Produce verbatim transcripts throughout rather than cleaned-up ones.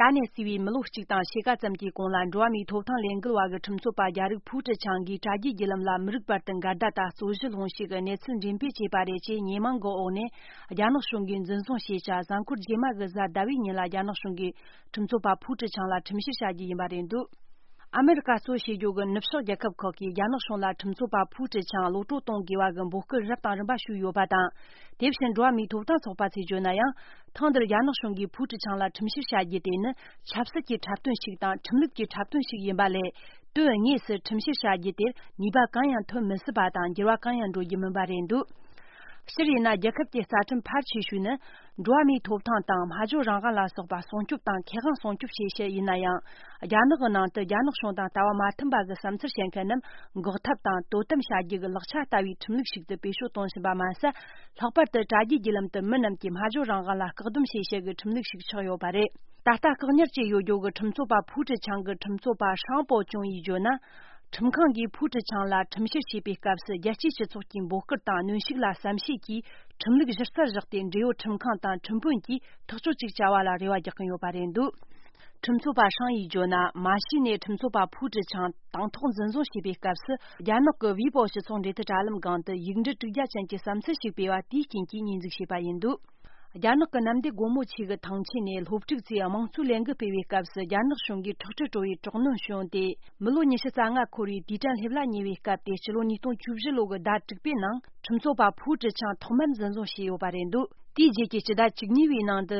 ད་ནས་བརྩིས་པའི་མི་ལོ་གཅིག་དང་ཕྱེད་ཀ་ཙམ་གྱི་གོང་ལ་འགྲོ་བ་མིའི་ཐོབ་ཐང་ལས་འགུལ་བ་གི་ཁྲིམས་རྩོད་པ་རྒྱ་རིགས་ཕུའུ་ཀྲི་ཆང་གིས་དྲ་རྒྱའི་བརྒྱུད་ལམ་ལ་མི་རིགས་བར་དུ་འགལ་ཟླ་དང་རྩོད་གཞི་སློང་ཞིག་གི་གནས་ཚུལ་འགྲེམས་སྤེལ་བྱས་པ་རེད་ཅེས་ཉེས་མིང་གི་འོག་ནས་རྒྱ་ནག་གཞུང་གིས་འཛིན་བཟུང་བྱས་བྱ། གཟའ་འཁོར་རྗེས་མ་གི་གཟའ་ཟླ་བའི་ཉིན་ལ་རྒྱ་ནག་གཞུང་གིས་ཁྲིམས་རྩོད་པ་ཕུའུ་ཀྲི་ཆང་ལ་ཁྲིམས་བཤེར་བྱ་རྒྱུ་ཡིན་པ་རེད་འདུག་ཨ་མེ་རི་ཀ་གཙོ་བྱས་རྒྱུ་གི་ནུབ་ཕྱོགས་རྒྱལ་ཁབ་ཁག་གིས་རྒྱ་ནག་གཞུང་ལ་ཁྲིམས་རྩོད་པ་ཕུའུ་ཀྲི་ཆང་གློད་བཀྲོལ་གཏོང་དགོས་པ་གི་འབོད་སྐུལ་རབ་དང་རིམ་པ་ཞུས་ཡོད་པ་དང་། དེ་བཞིན་འགྲོ་བ་མིའི་ཐོབ་ཐང་ཚོགས་པ་ཚོས་བརྗོད་ན་ཡང་། ཐེངས་འདིར་རྒྱ་ནག་གཞུང་གིས་ཕུའུ་ཀྲི་ཆང་ལ་ཁྲིམས་བཤེར་བྱ་རྒྱུ་དེ་ནི་ཆབ་སྲིད་ཀྱི་འཁྲབ་སྟོན་ཞིག་དང་ཁྲིམས་ལུགས་ཀྱི་འཁྲབ་སྟོན་ཞིག་ཡིན་པ་ལས། དོན་དངོས་སུ་ཁྲིམས་བཤེར་བྱ་རྒྱུ་དེར་ནུས་པ་གང་ཡང་ཐོན་མི་སྲིད་པ་དང་འགྱུར་བ་གང་ཡང་འགྲོ་རྒྱུ་མིན་པ་རེད་འདུག་སྤྱིར་ཡིན་ན། རྒྱལ་ཁབ་ཀྱི་རྩ་ཁྲིམས་ཕལ་ཆེ་ཤོས་ནི། འགྲོ་བ་མིའི་ཐོབ་ཐང་དང་སྨྲ་བརྗོད་རང་དབང་ལ་སོགས་པ་སྲུང་སྐྱོབ་དང་ཁེ་དབང་སྲུང་སྐྱོབ་བྱེད་ཕྱིར་ཡིན་ན་ཡང་། རྒྱ་ནག་གི་ནང་དུ་རྒྱ་ནག་གཞུང་དང་ལྟ་བ་མ་མཐུན་པ་གི་བསམ་ཚུལ་བཤད་མཁན་རྣམས་འགོག་ཐབས་དང་དོ་དམ་བྱ་རྒྱུ་གི་ལག་ཆ་ལྟ་བུའི་ཁྲིམས་ལུགས་ཤིག་ཏུ་བེད་སྤྱོད་གཏོང་བཞིན་པ་མ་ཟད། ལྷག་པར་དུ་དྲ་རྒྱའི་བརྒྱུད་ལམ་དུ་མི་རྣམས་ཀྱི་སྨྲ་བརྗོད་རང་དབང་ལ་བཀག་སྡོམ་བྱེད་ཕྱིར་གྱི་ཁྲིམས་ལུགས་ཤིག་ཆགས་ཡོད་པ་རེད། ད་ལྟ་བཀག་ཉར་བྱས་ཡོད་རྒྱུ་གི་ཁྲིམས་རྩོད་པ་ཕུའུ་ཀྲི་ཆང་གི་ཁྲིམས་རྩོད་པ་ཧྲང་པོ་ཅུང་ཡིས་བརྗོད་ན། ཁྲིམས་ཁང་གིས་ཕུའུ་ཀྲི་ཆང་ལ་ཁྲིམས་བཤེར་བྱེད་པའི་སྐབས་སུ། རྒྱལ་སྤྱིའི་སྤྱི་ཚོགས་ཀྱི་འབོད་སྐུལ་དང་གནོན་ཤུགས་ལ་བསམ་ཤེས་ཀྱིས་ཁྲིམས་ལུགས་གཞི་རྩར་བཞག་སྟེ། འབྲེལ་ཡོད་ཁྲིམས་ཁང་དང་ཁྲིམས་དཔོན་གྱིས་ཐག་གཅོད་ཅིག་བྱ་བ་ལ་རེ་བ་རྒྱག་གིན་ཡོད་པ་རེད་འདུག་ཁྲིམས་རྩོད་པ་ཧྲང་ཡིས་བརྗོད་ན། མ་གཞི་ནས་ཁྲིམས་རྩོད་པ་ཕུའུ་ཀྲི་ཆང་དང་ཐོག་འཛིན་བཟུང་བྱས་པའི་སྐབས་སུ། རྒྱ་ནག་གི་ཝི་པོ་སྤྱི་ཚོགས་འབྲེལ་མཐུད་དྲ་ལམ་སྒང་དུ་ཡིག་འབྲུ་དྲུག་བརྒྱ་ཅན་གྱི་བསམ་ཚུལ་ཞིག་སྤེལ་བ་དེའི་རྐྱེན་གྱིས་ཉེས་འཛུགས་བྱས་པ་ཡིན་འདུག་རྒྱ་ནག་གི་གནམ་བདེ་སྒོ་མོ་ཆེ་གི་ཐང་ཆེན་ནས་སློབ་ཕྲུག་ཚོས་དམངས་གཙོའི་ལས་འགུལ་སྤེལ་བའི་སྐབས་སུ། རྒྱ་ནག་གཞུང་གིས་ཁྲག་དྲི་བྲོ་བའི་དྲག་གནོན་བྱུང་སྟེ། མི་ལོ་ཉི་ཤུ་རྩ་ལྔ་འཁོར་བའི་དུས་དྲན་སླེབས་ལ་ཉེ་བའི་སྐབས་ཏེ། ཕྱི་ལོ་ཉིས་སྟོང་བཅུ་བཞི་ལོ་གི་ཟླ་དྲུག་པའི་ནང་ཁྲིམས་རྩོད་པ་ཕུའུ་ཀྲི་ཆང་ཐོག་མར་འཛིན་བཟུང་བྱས་ཡོད་པ་རེད་འདུག་དེའི་རྗེས་ཀྱི་སྤྱི་ཟླ་བཅུ་གཉིས་པའི་ནང་དུ།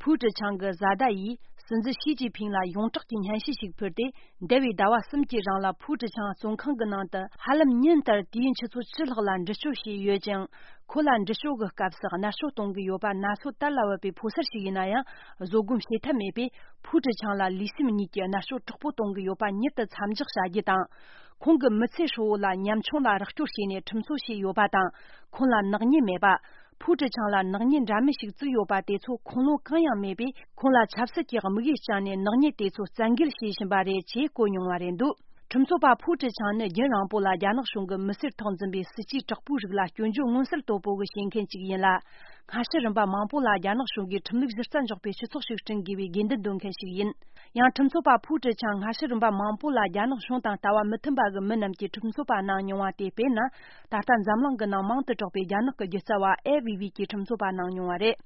ཕུའུ་ཀྲི་ཆང་གི་བཟའ་ཟླ་ཡིས་སྲིད་འཛིན་ཞི་ཅིན་ཕིང་ལ་ཡོངས་གྲགས་ཀྱི་སྙན་ཞུ་ཞིག་ཕུལ་ཏེ། འདས་པའི་ཟླ་བ་གསུམ་གྱི་རིང་ལ་ཕུའུ་ཀྲི་ཆང་བཙོན་ཁང་གི་ནང་དུ་ཧ་ལམ་ཉིན་ལྟར་དུས་ཡུན་ཆུ་ཚོད་བཅུ་ལྷག་ལ་འདྲི་གཅོད་བྱས་ཡོད་ཅིང་། ཁོ་ལ་འདྲི་གཅོད་ཀྱི་སྐབས་སུ་མནར་གཅོད་གཏོང་གི་ཡོད་པ་ན་ཚོད་དར་ལ་བབས་པའི་ཕོ་གསར་ཞིག་ཡིན་ན་ཡང་བཟོད་སྒོམ་བྱེད་ཐབས་མེད་པས། ཕུའུ་ཀྲི་ཆང་ལ་ལུས་སེམས་གཉིས་ཀྱི་མནར་གཅོད་དྲག་པོ་གཏོང་གི་ཡོད་པ་མྱུར་དུ་མཚམས་འཇོག་བྱ་རྒྱུ་དང་། ཁོང་གི་མི་ཚེ་ཧྲིལ་བོ་ལ་ཉམ་ཆུང་ལ་རོགས་སྐྱོར་བྱས་ནས་ཁྲིམས་རྩོད་བྱས་ཡོད་པ་དང་། ཁོང་ལ་ནག་ཉེས་མེད་པ། ཕུའུ་ཀྲི་ཆང་ལ་ནག་ཉེས་འདྲ་མིན་ཞིག་བཙུགས་ཡོད་པ་དེ་ཚོ་ཁུངས་ལུང་གང་ཡང་མེད་པས། ཁོང་ལ་ཆབ་སྲིད་ཀྱི་དམིགས་ཡུལ་བཅངས་ནས་ནག་ཉེས་དེ་ཚོ་བཙན་འགེལ་བྱེད་བཞིན་པ་རེད་ཅེས་བཀོད་མྱོང་བ་རེད་འདུག་ཁྲིམས་རྩོད་པ་ཕུའུ་ཀྲི་ཆང་ནི་རྒྱུན་རིང་པོ་ལ་རྒྱ་ནག་གཞུང་གི་མི་སེར་ཐོག་འཛིན་པའི་སྲིད་ཇུས་དྲག་པོའི་རིགས་ལ་སྐྱོན་བརྗོད་མངོན་གསལ་དོད་པོ་གི་བྱེད་མཁན་ཅིག་ཡིན་ལ། སྔ་ཕྱི་རིམ་པ་མང་པོ་ལ་རྒྱ་ནག་གཞུང་གིས་ཁྲིམས་ལུགས་གཞི་རྩར་འཇོག་པའི་སྤྱི་ཚོགས་ཤིག་བསྐྲུན་དགོས་པའི་དགོས་འདུན་འདོན་མཁན་ཞིག་ཡིན། ཡང་ཁྲིམས་རྩོད་པ་ཕུའུ་ཀྲི་ཆང་སྔ་ཕྱི་རིམ་པ་མང་པོ་ལ་རྒྱ་ནག་གཞུང་དང་ལྟ་བ་མི་མཐུན་པ་གི་མི་རྣམས་ཀྱིས་ཁྲིམས་རྩོད་པ་གནང་མྱོང་བ་དེ། དཔེར་ན། ད་ལྟ་འཛམ་གླིང་གི་ནང་མང་དུ་གྲགས་པའི་རྒྱ་ནག་གི་སྒྱུ་རྩལ་བ་ཨེ་ཝི་ཝི་གིས་ཁྲིམས་རྩོད་པ་གནང་མྱོང་བ་རེད།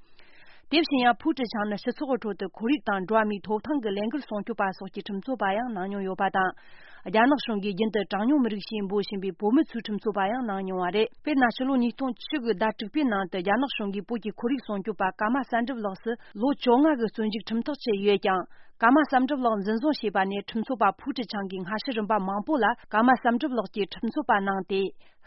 དེ་བཞིན་ཡང་ཕུའུ་ཀྲི་ཆང་ནི་སྤྱི་ཚོགས་ཀྱི་ཁྲོད་དུ་ཁོར་ཡུག་དང་འགྲོ་བ་མིའི་ཐོབ་ཐང་གི་ལས་འགུལ་སྲུང་སྐྱོབ་པ་སོགས་ཀྱི་ཁྲིམས་རྩོད་པ་ཡང་གནང་མྱོང་ཡོད་པ་དང་། རྒྱ་ནག་གཞུང་གིས་རྒྱུན་དུ་གྲངས་ཉུང་མི་རིགས་ཞེས་འབོད་བཞིན་པའི་བོད་མི་ཚོའི་ཁྲིམས་རྩོད་པ་ཡང་གནང་མྱོང་བ་རེད། དཔེར་ན། ཕྱི་ལོ་ཉིས་སྟོང་བཅུ་གི་ཟླ་དྲུག་པའི་ནང་དུ་རྒྱ་ནག་གཞུང་གིས་བོད་ཀྱི་ཁོར་ཡུག་སྲུང་སྐྱོབ་པ་ཀརྨ་གསལ་སྒྲུབ་ལགས་སུ་ལོ་བཅོ་ལྔ་གི་བཙོན་འཇུག་ཁྲིམས་ཐག་བཅད་ཡོད་ཀྱང་། ཀརྨ་བསམ་གྲུབ་ལགས་འཛིན་བཟུང་བྱས་པ་ནས་ཁྲིམས་རྩོད་པ་ཕུའུ་ཀྲི་ཆང་གིས་སྔ་ཕྱི་རིམ་པ་མང་པོ་ལ་ཀརྨ་བསམ་གྲུབ་ལགས་ཀྱིས་ཁྲིམས་རྩོད་པ་གནང་སྟེ།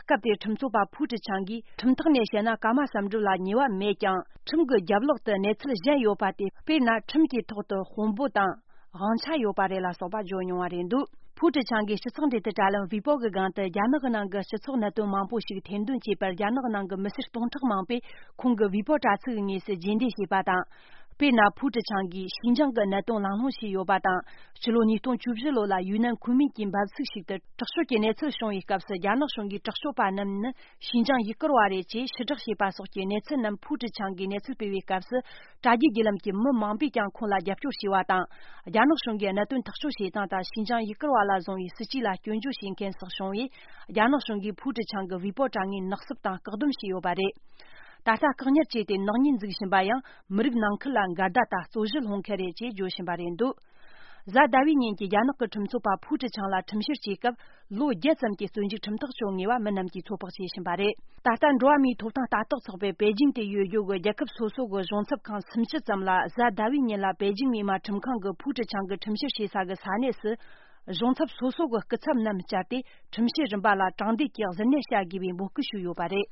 སྐབས་དེར་ཁྲིམས་རྩོད་པ་ཕུའུ་ཀྲི་ཆང་གིས་ཁྲིམས་ཐག་ནས་བཤད་ན་ཀརྨ་བསམ་གྲུབ་ལ་ཉེས་པ་མེད་ཀྱང་། ཁྲིམས་ཀྱི་རྒྱབ་ལོགས་དུ་གནས་ཚུལ་གཞན་ཡོད་པ་དེ། དཔེར་ན། ཁྲིམས་ཀྱི་ཐོག་ཏུ་དཔོན་པོ་དང་དབང་ཆ་ཡོད་པ་རེད་ལ་སོགས་པ་བརྗོད་མྱོང་བ་རེད་འདུག་ཕུའུ་ཀྲི་ཆང་གིས་སྤྱི་ཚོགས་འབྲེལ་མཐུད་དྲ་ལམ་ཝི་པོ་གི་སྒང་དུ། རྒྱ་ནག་གི་ནང་གི་སྤྱི་ཚོགས་གནད་དོན་མང་པོ་ཞིག་ཐེར་འདོན་བྱས་པར། རྒྱ་ནག་གི་ནང་གི་མི་སེར་སྟོང་ཕྲག་མང་པོས་ཁོང་གི་ཝི་པོ་དྲ་ཚིགས་ཀྱི་ངོས་སུ་རྗེས་འདེད་བྱས་པ་དང་། དཔེར་ན། ཕུའུ་ཀྲི་ཆང་གིས་ཞིན་ཅང་གི་གནད་དོན་གླེང་སློང་བྱས་ཡོད་པ་དང་། ཕྱི་ལོ་ཉིས་སྟོང་བཅུ་བཞི་ལོ་ལ་ཡུན་ནན་ཁུན་མིང་གི་འབབ་ཚིགས་ཤིག་ཏུ་དྲག་སྤྱོད་ཀྱི་གནས་ཚུལ་བྱུང་བའི་སྐབས་སུ། རྒྱ་ནག་གཞུང་གིས་དྲག་སྤྱོད་པ་རྣམས་ནི་ཞིན་ཅང་ཡུ་གུར་བ་རེད་ཅེས་ཕྱིར་བསྒྲགས་བྱས་པ་སོགས་ཀྱི་གནས་ཚུལ་རྣམས་ཕུའུ་ཀྲི་ཆང་གིས་གནས་ཚུལ་སྤེལ་བའི་སྐབས་སུ། དྲ་རྒྱའི་བརྒྱུད་ལམ་གྱི་མི་མང་པོས་ཀྱང་ཁོང་ལ་རྒྱབ་སྐྱོར་བྱས་པ་དང་། རྒྱ་ནག་གཞུང་གིས་གནད་དོན་ཐག་གཅོད་བྱེད་སྟངས་དང་ཞིན་ཅང་ཡུ་གུར་བ་ལ་བཟུང་བའི་སྲིད་ཇུས་ལ་སྐྱོན་བརྗོད་བྱེད་མཁན་སོགས་བྱུང་བས། རྒྱ་ནག་གཞུང་གིས་ཕུའུ་ཀྲི་ཆང་གི་ཝི་པོ་དྲ་ངོས་ནག་སུབ་དང་བཀག་སྡོམ་བྱས་ཡོད་པ་རེད། ད་ལྟ་བཀག་ཉར་བྱས་ཏེ་ནག་ཉེས་འཛུགས་བཞིན་པ་ཡང་། མི་རིགས་ནང་ཁུལ་ལ་འགལ་ཟླ་དང་རྩོད་གཞི་སློང་མཁན་རེད་ཅེས་བརྗོད་བཞིན་པ་རེད་འདུག་གཟའ་ཟླ་བའི་ཉིན་གྱི་རྒྱ་ནག་གི་ཁྲིམས་རྩོད་པ་ཕུའུ་ཀྲི་ཆང་ལ་ཁྲིམས་བཤེར་བྱེད་སྐབས། ལོ་བརྒྱད་ཙམ་གྱི་བཙོན་འཇུག་ཁྲིམས་ཐག་གཅོད་ངེས་པ་མི་རྣམས་ཀྱིས་ཚོད་དཔག་བྱེད་བཞིན་པ་རེད། ད་ལྟ་འགྲོ་བ་མིའི་ཐོབ་ཐང་ལྟ་རྟོག་ཚོགས་པའི་པེ་ཅིང་དུ་ཡོད་རྒྱུ་གི་རྒྱལ་ཁབ་སོ་སོ་གི་གཞུང་ཚབ་ཁང་སུམ་ཅུ་ཙམ་ལ་གཟའ་ཟླ་བའི་ཉིན་ལ་པེ་ཅིང་མི་དམངས་ཁྲིམས་ཁང་གི་ཕུའུ་ཀྲི་ཆང་གི་ཁྲིམས་བཤེར་བྱེད་ས་གི་ས་གནས་སུ། གཞུང་ཚབ་སོ་སོ་གི་སྐུ་ཚབ་རྣམས་བཅར་ཏེ་ཁྲིམས་བཤེར་རིམ་པ་ལ་དྲང་བདེན་གྱི་གཟིར་གནས་བྱ་དགོས་པའི་འབོད་སྐུལ་ཞུས་ཡོད་པ་རེད།